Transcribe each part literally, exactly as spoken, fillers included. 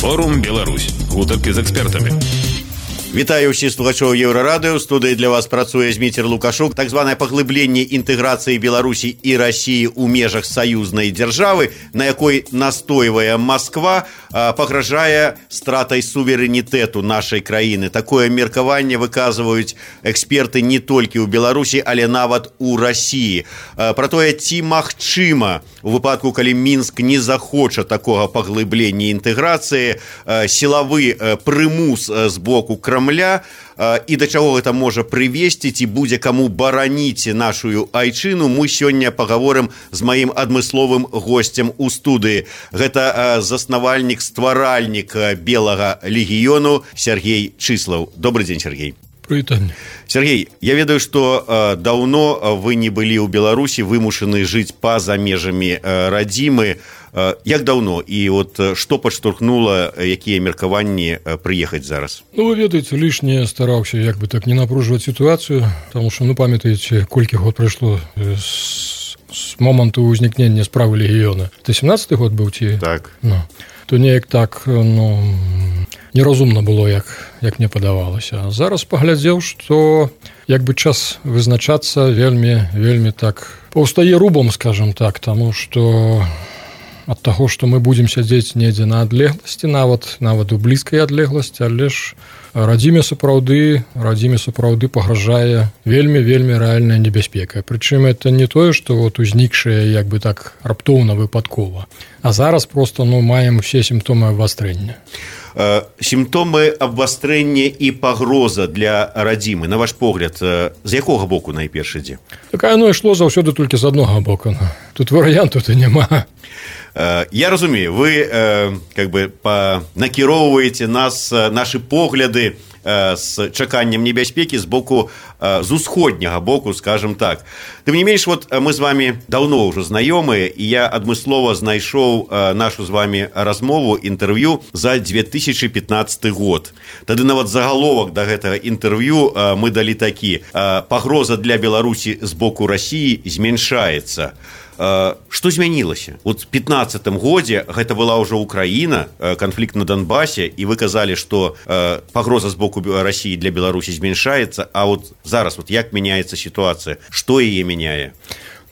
Форум Беларусь. Гутарки з экспертамі. Вітаю ўсіх слухачоў Еўрарадыё. У студыі для вас працуе Зміцер Лукашук. Так званае паглыбленне інтэграцыі Беларусі і Расіі ў межах саюзнай дзяржавы, на якой настойвае Масква, пагражае стратай суверэнітэту нашай краіны. Такое меркаванне выказваюць эксперты не толькі ў Беларусі, але нават у Расіі. Пра тое, ці магчыма у выпадку, калі Мінск не захоча такога паглыблення інтэграцыі, сілавы прымус з боку Крамля, і да чаго гэта можа прывесці, ці будзе каму бараніць нашу айчыну, мы сёння пагаворым з маім адмысловым госцем у студыі. Гэта заснавальнік, стваральнік Белага легіёну Сергей Чыслаў. Добрый дзень, Сергей. Прывітанне. Сергей, я ведаю, што э, даўно вы не былі ў Беларусі, вымушаны жыць па-за межамі э, радзімы. Э, як даўно? І от што падштурхнула, якія меркаванні э, прыехаць зараз? Ну, вы ведаеце, лішне стараўся як бы так не напружваць сітуацыю, таму што, ну, памятаеце, колькі год прайшло з, з моманту ўзнікнення справы легіёна. Это сямнаццаты год быў ці? Так. Ну, то неяк так, ну, неразумна было, як, як мне падавалася. А зараз паглядзеў, што як бы час вызначацца вельмі, вельмі так паўстае рубам, скажем так, таму што ад таго, што мы будзем сядзець недзе на адлегласці, нават, нават у блізкай адлегласці, але ж радзіме сапраўды, радзіме сапраўды пагражае вельмі-вельмі рэальная небяспека. Прычым это не тое, што вот узнікшае як бы так раптоўна выпадкова, а зараз просто, ну, маем усе сімптомы абвастрэння. Сімптомы абвастрэння і пагроза для радзімы, на ваш погляд, з якога боку найперш ідзе? Такая, ну, ішло заўсёды толькі з аднога боку. Тут варыянту-то няма. Я разумею, вы как бы накіроўваеце нас, нашы погляды з чаканнем небяспекі з боку, з усходняга боку, скажем так. Тым не менш, вот мы з вами даўно ўжо знаёмыя, і я адмыслова знайшоў нашу з вами размову, інтэрв'ю за две тысячы пятнаццаты год. Тады нават загаловак да гэтага інтэрв'ю мы далі такі: пагроза для Беларусі з боку Расіі змяншаецца. Што змянілася? Вот у пятнаццатым годзе гэта была ўжо Украіна, канфлікт на Донбасе, і вы казалі, што пагроза з боку Расіі для Беларусі змяншаецца, а вот зараз вот як мяняецца сітуацыя? Што яе мяняе?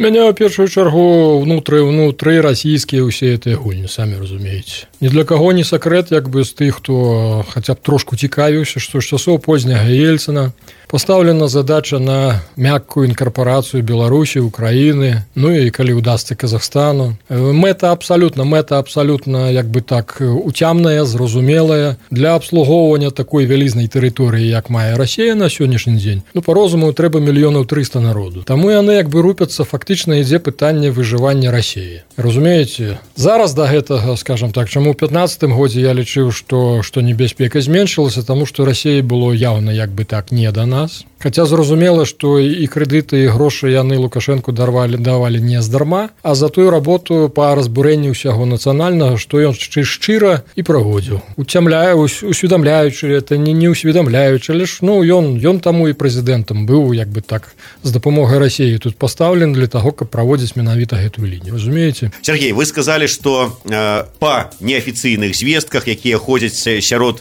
Мяне, ў першую чаргу, внутры, внутры расійскія ўсе гэтыя гульні, самі разумееце. Ні для каго не сакрэт, як бы з тых, хто хаця б трошку цікавіўся, што з часоў позняга Ельцына пастаўлена задача на мяккую інкарпорацыю Беларусі, Украіны, ну і калі ўдасца Казахстану. Мэта абсалютна, мэта абсалютна, як бы так, уцямная, зразумелая для абслугоўвання такой вялізнай тэрыторыі, як мае Расія на сённяшні дзень. Ну, па-розуму, трэба мільёнаў трыста народу. Таму яны як бы рупяцца, фактычна ідзе пытанне выжывання Расіі. Разумееце? Зараз да гэтага, скажам так, чаму ў пятнаццатым годзе я лічыў, што, што небяспека зменшылася, таму што Расіі было яўна як бы так не да нас. Хаця зразумела, што і крэдыты, і грошы яны Лукашэнку дарвалі, давалі не здарма, а за тую работу па разбурэнні ўсяго нацыянальнага, што ён шчыра і праводзіў. Уцямляе, усведамляючы, это не, не усведамляючы, але ж, ну, ён, ён таму і прэзідэнтам быў, як бы так, з дапамогай Расіі тут пастаўлен для таго, каб праводзіць менавіта гэтую лінію. Разумееце? Сергей, вы сказалі, што э, па неафіцыйных звестках, якія ходзяць сярод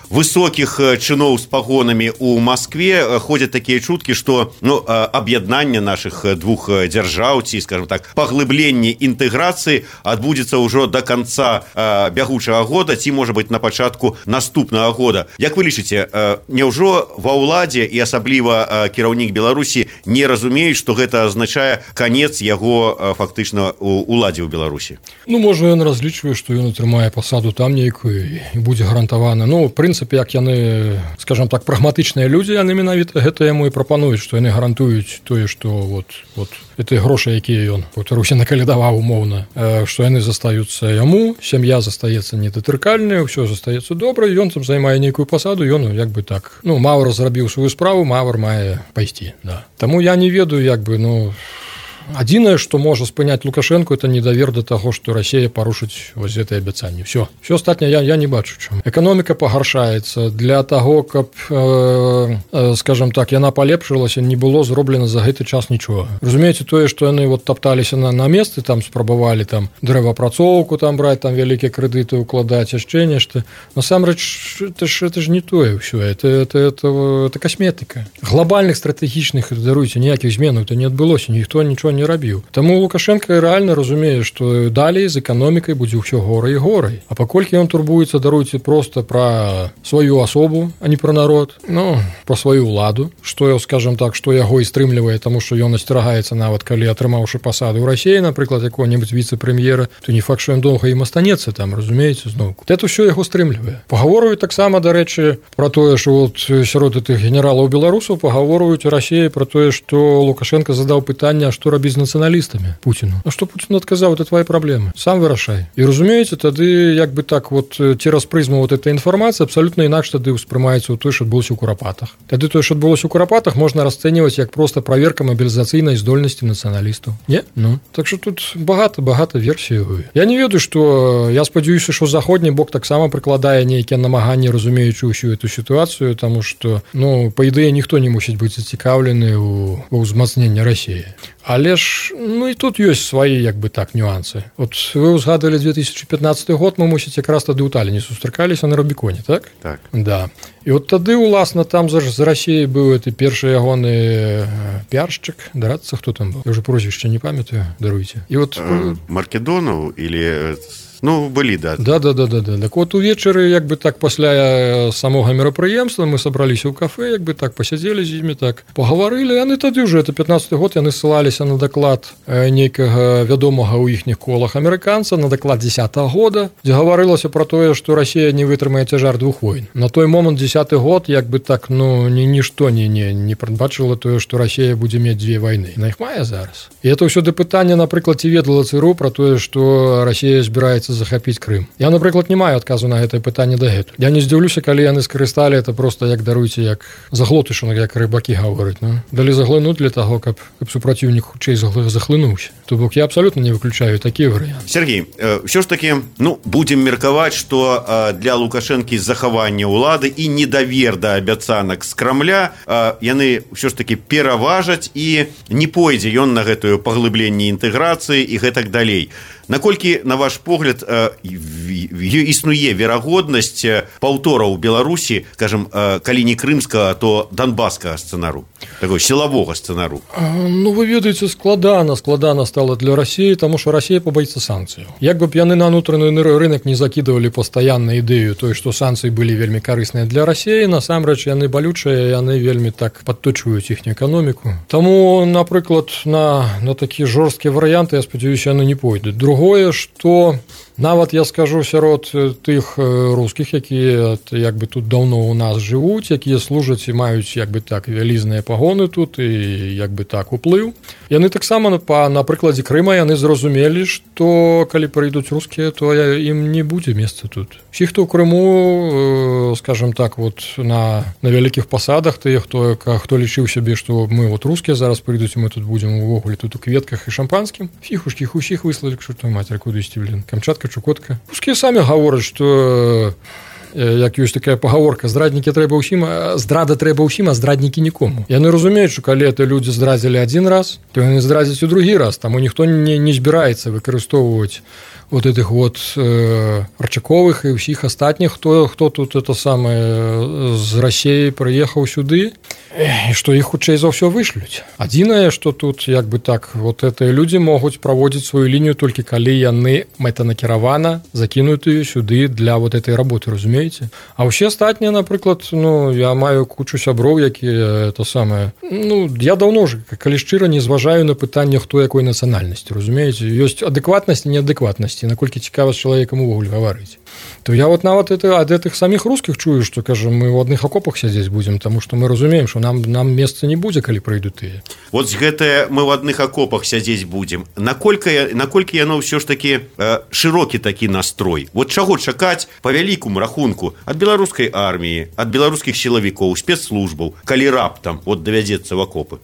высокіх чыноў з пагонамі ў Маскве, ходзяць такія чуткі, што, ну, аб'яднанне нашых двух дзяржаў, ці, скажем так, паглыбленне інтэграцыі адбудзецца ўжо да канца бягучага года, ці, можа быць, на пачатку наступнага года. Як вы лічыце, няўжо ва ўладзе і асабліва кіраўнік Беларусі не разумеюць, што гэта азначае канец яго фактычна уладзе ў Беларусі? Ну, можа, ён разлічвае, што ён атрымае пасаду там нейкую і будзе гарантавана. Ну, прынцып, як яны, скажем так, прагматычныя людзі, яны менавіта гэта яму і прапануюць, што яны гарантуюць тое, што вот, вот гэтыя грошы, якія ён паўтаруся накалядаваў умоўна, што яны застаюцца яму, сям'я застаецца недатыркальная, ўсё застаецца добра, ён там займае нейкую пасаду, ён як бы так, ну, Маўр зрабіў сваю справу, Маўр мае пайсці, да. Таму я не ведаю, як бы, ну, Адзінае, што можа спыняць Лукашенко, это недавер да таго, што Расія парушыць вось гэтае абяцанне. Все. Все астатняе я, я не бачу чым. Эканоміка пагаршаецца. Для таго, каб, э, э, скажем так, яна палепшылася, не было зроблена за гэты час нічога. Разумееце, тое, што яны вот тапталіся на, на месцы, там спрабавалі там дрэваапрацоўку там браць, там вялікія крэдыты укладаць, яшчэ нешта. Насамрэч, это ж, это ж не тое ўсё. Это, это, это, это касметыка. Глобальных стратэгічных, даруйце, ніякіх зменаў то не адбылося, ніхто нічого не рабіў. Таму Лукашенко рэальна разумее, што далей з эканомікай будзе ўсё горай і горай. А паколькі ён турбуецца, даруйце, проста пра сваю асобу, а не пра народ, ну, пра сваю ўладу, што, скажем так, што яго і стрымлівае, таму што ён асцерагаецца нават, калі атрымаўшы пасаду ў Расіі, напрыклад, якога-небудзь віцэ-прэм'ера, то не факт, што ён доўга ім астанецца там, разумееце, зноў. Это ўсё яго стрымлівае. Пагаворваюць таксама, дарэчы, пра тое, што вот сярод гэтых генералаў беларусаў пагаворваюць у Расіі пра тое, што Лукашенко задаў пытанне, што рабіць з нацыяналістамі Пуціну. А што Пуцін адказаў, это твои праблемы. Сам вырашай. І разумееце, тады як бы так вот цераз прызму вот этой інфармацыі абсалютна інакш тады ўспрымаецца ў той, што адбылося ў Курапатах. Тады тое, што адбылося ў Курапатах, можна расцэньваць як проста праверка мабілізацыйнай здольнасці нацыяналістаў. Не? Ну, так што тут багата-багата версій. Я не ведаю, што я спадзяюся, што заходні бок таксама прыкладае нейкія намаганні, разумеючы ўсю эту сітуацыю, таму што, ну, па ідэі ніхто не мусіць быць зацікаўлены ў ўзмацненні Расіі. Але ж, ну і тут ёсць свае, як бы так, нюансы. От вы ўзгадалі две тысячи пятнадцаты год, мы, мусіць, якраз тады ў Таліне сустракаліся на Рубіконе, так? Так. Да. І от тады, уласна, там з Расіяй быў гэты першы ягоны піаршчык, дарацца, хто там быў? Я ўжо прозвішча не памятаю, даруйце. І от... Маркедонаў или... Ну, былі, да. Да, да, да, да, да. Так от увечары, як бы так, пасля самога мерапрыемства мы сабраліся ў кафе, як бы так, пасядзелі з імі, так, пагаварылі, яны тады ўжо, это пятнадцаты год, яны ссылаліся на даклад нейкага вядомага ў іхніх колах амерыканца, на даклад дзесятага года, дзе гаварылася пра тое, што Расія не вытрымае цяжар двух войн. На той момант дзесяты год, як бы так, ну, ні, нішто не, не, не прадбачыла тое, што Расія будзе мець дзве вайны. На іх мае зараз. І это ўсё да пытання, напрыклад, ці ведала ЦРУ пра тое, што Расія збіраецца захапіць Крым. Я, напрыклад, не маю адказу на гэтае пытанне дагэтуль. Я не здзіўлюся, калі яны скарысталі это просто, як даруйце, як заглотышанак, як рыбакі гавораць. Ну, далі заглынуць для таго, каб, каб супраціўнік хутчэй захлынуўся. То бок я абсалютна не выключаю такі варыянт. Сергей, ўсё ж такі, ну, будзем меркаваць, што для Лукашэнкі захавання ўлады і недавер да абяцанак з Крамля яны ўсё ж такі пераважаць і не пойдзе ён на гэтую паглыбленне інтэграцыі і гэтак далей. Наколькі, на ваш погляд, існуе верагоднасць паўтора ў Беларусі, скажем, калі не крымскага, то донбасскага сцэнару, такой сілавога сцэнару? Ну, вы ведаеце, складана, складана стала для Расіі, таму што Расія пабаіцца санкцыяў. Як бы б яны на ўнутраны рынок не закідывалі пастаянна ідэю той, што санкцыі былі вельмі карысныя для Расіі, насамрэч яны балючыя, яны вельмі так падточваюць іхнюю эканоміку. Таму, напрыклад, на, на такі жорсткія варыянты, я спадзяюся, яны не пойдуць. Другое, што нават я скажу сярод тых рускіх, якія як бы тут даўно ў нас жывуць, якія служаць і маюць як бы так вялізныя пагоны тут і як бы так уплыў. Яны таксама па на прыкладзе Крыма яны зразумелі, што калі прыйдуць рускія, то ім не будзе месца тут. Усі, хто ў Крыму, скажем так, вот на на вялікіх пасадах, тыя, хто хто лічыў сябе, што мы вот рускія зараз прыйдуць, мы тут будзем увогуле тут у кветках і шампанскім, фіхушкі усіх выслалі к чортовой матері, куды ісці, блін, Камчатка, Чукотка. Рускія самі гавораць, што як ёсць такая пагаворка, здраднікі трэба ўсім, здрада трэба ўсім, а здраднікі нікому. Яны разумеюць, што калі это людзі здрадзілі адзін раз, то яны здрадзяць у другі раз, таму ніхто не, не збіраецца выкарыстоўваць вот этих вот э, Арчаковых і ўсіх астатніх, хто, хто тут это самае з Расіі прыехаў сюды, і што іх хутчэй за ўсё вышлюць. Адзінае, што тут як бы так, вот гэтыя людзі могуць праводзіць сваю лінію толькі калі яны мэтанакіравана закінутыя сюды для вот этой работы, разумееце? А ўсе астатнія, напрыклад, ну, я маю кучу сяброў, якія это самае, ну, я даўно ж, калі шчыра, не зважаю на пытанне, хто якой нацыянальнасці, разумееце? Ёсць адэкватнасць і неадэкватнасць, наколькі цікава з чалавекам увогуле гаварыць. То я вот нават это ад гэтых саміх рускіх чую, што, кажам, мы ў адных акопах сядзець будзем, таму што мы разумеем, што нам нам месца не будзе, калі прыйдуць тыя. Вот гэтае мы ў адных акопах сядзець будзем. Наколькі наколькі яно ўсё ж такі э, шырокі такі настрой. Вот чаго чакаць па вялікому рахунку ад беларускай арміі, ад беларускіх сілавікоў, спецслужбаў, калі раптам вот давядзецца ў акопы?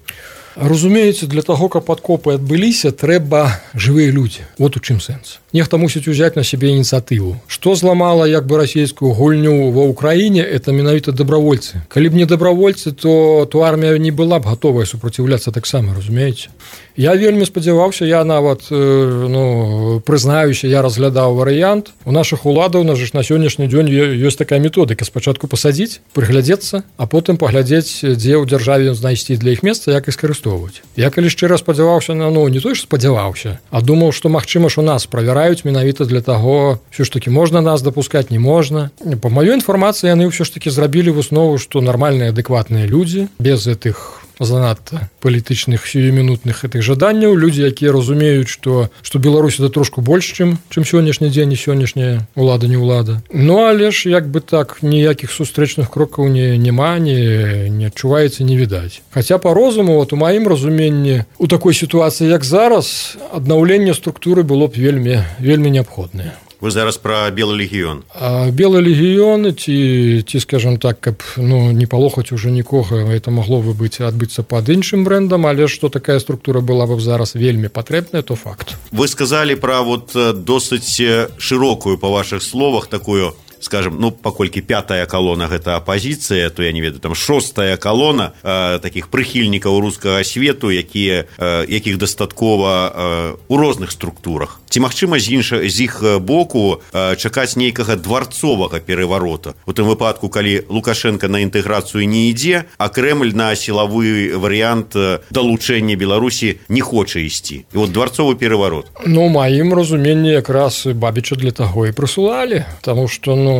Разумеется, для того, каб падкопы адбыліся, трэба жывыя людзі. Вот у чым сэнс. Нехта мусіць узяць на сябе ініцыятыву. Што зламала як бы расійскую гульню ва ўкраіне, это менавіта дабравольцы. Калі б не дабравольцы, то, то армія не была б гатовая супраціўляцца таксама, разумееце. Я вельмі спадзяваўся, я нават ну, прызнаюся, я разглядаў варыянт. У нашых уладаў на ж на сённяшні дзень ёсць такая методыка: спачатку пасадзіць, прыглядзецца, а потым паглядзець, дзе ў дзяржаве знайсці для іх месца, як і скарыстоўваць. Я калі шчыра спадзяваўся на ну не той ж спадзяваўся, а думаў, што магчыма ж у нас правяраюць менавіта для таго, ўсё ж такі можна нас дапускаць, не можна. Па маёй інфармацыі яны ўсё ж такі зрабілі выснову, што нармальныя адэкватныя людзі без гэтых занадта палітычных сіюмінутных гэтых жаданняў, людзі, якія разумеюць, што што Беларусь это трошку больш, чым чым сённяшні дзень і сённяшняя улада не ўлада. Ну але ж як бы так ніякіх сустрэчных крокаў не няма, не не адчуваецца, не відаць. Хаця па розуму, вот у маім разуменні, у такой сітуацыі як зараз, аднаўленне структуры было б вельмі вельмі неабходнае. Вы зараз пра белы легіён. А белы легіён ці ці скажем так, каб ну не палохаць уже нікога, это магло бы быць адбыцца пад іншым брэндам, але што такая структура была бы зараз вельмі патрэбная, то факт. Вы сказалі пра вот досыць шырокую, па вашых словах, такую, скажем, ну, паколькі пятая калона гэта апазіцыя, то я не ведаю, там шостая калона э, такіх прыхільнікаў рускага свету, якія, э, якіх дастаткова э, у розных структурах. Ці магчыма з інша, з іх боку э, чакаць нейкага дварцовага пераварота? У тым выпадку, калі Лукашенко на інтэграцыю не ідзе, а Крэмль на сілавы варыянт далучэння Беларусі не хоча ісці. І вот дварцовы пераварот. Ну, маім разуменні якраз Бабіча для таго і прысылалі, таму што ну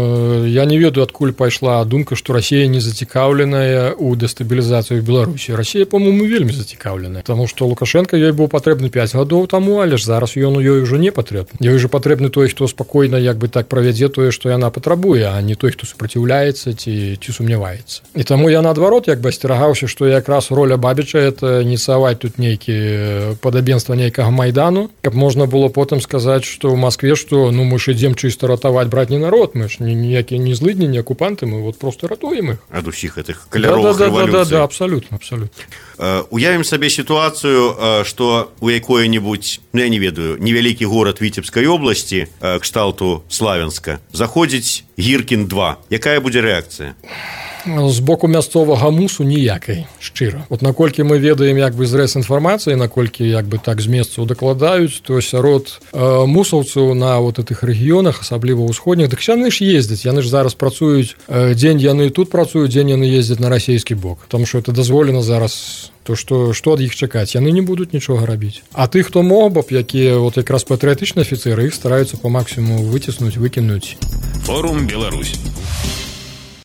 я не ведаю, адкуль пайшла думка, што Расія не зацікаўленая ў дэстабілізацыю Беларусі. Расія, по-моему, вельмі зацікаўленая, таму што Лукашенко ёй быў патрэбны пяць гадоў таму, але ж зараз ён у ёй ужо не патрэбны. Ёй жа патрэбны той, хто спакойна як бы так правядзе тое, што яна патрабуе, а не той, хто супраціўляецца ці ці сумняваецца. І таму я наадварот як бы асцерагаўся, што якраз роля Бабіча это ініцыяваць тут нейкі падабенства нейкага майдану, каб можна было потым сказаць, што ў Маскве, што ну мы ж ідзем чыста ратаваць братні народ, мы ж ніякія не злыдні, не акупанты, мы вот просто ратуем іх ад усіх гэтых каляровых да, да, рэвалюцый. Да, да, да, абсалютна, абсалютна. Уявім сабе сітуацыю, што у якое-небудзь, ну я не ведаю, невялікі горад Віцебскай обласці, кшталту Славянска, заходзіць Гіркін два. Якая будзе рэакцыя? З боку мясцовага мусу ніякай, шчыра. Вот наколькі мы ведаем як бы зрэз інфармацыі, наколькі як бы так з месцаў дакладаюць, то сярод э, мусаўцаў на вот этих рэгіёнах, асабліва ўсходніх, дык яны ж ездзяць, яны ж зараз працуюць, э, дзень яны тут працуюць, дзень яны ездзяць на расійскі бок, тому што это дазволена зараз. То што, што ад іх чакаць? Яны не будуць нічога рабіць. А тых, хто мог бы, якія вот якраз патрыятычныя афіцэры, іх стараюцца па максімуму выціснуць, выкінуць. Форум Беларусь.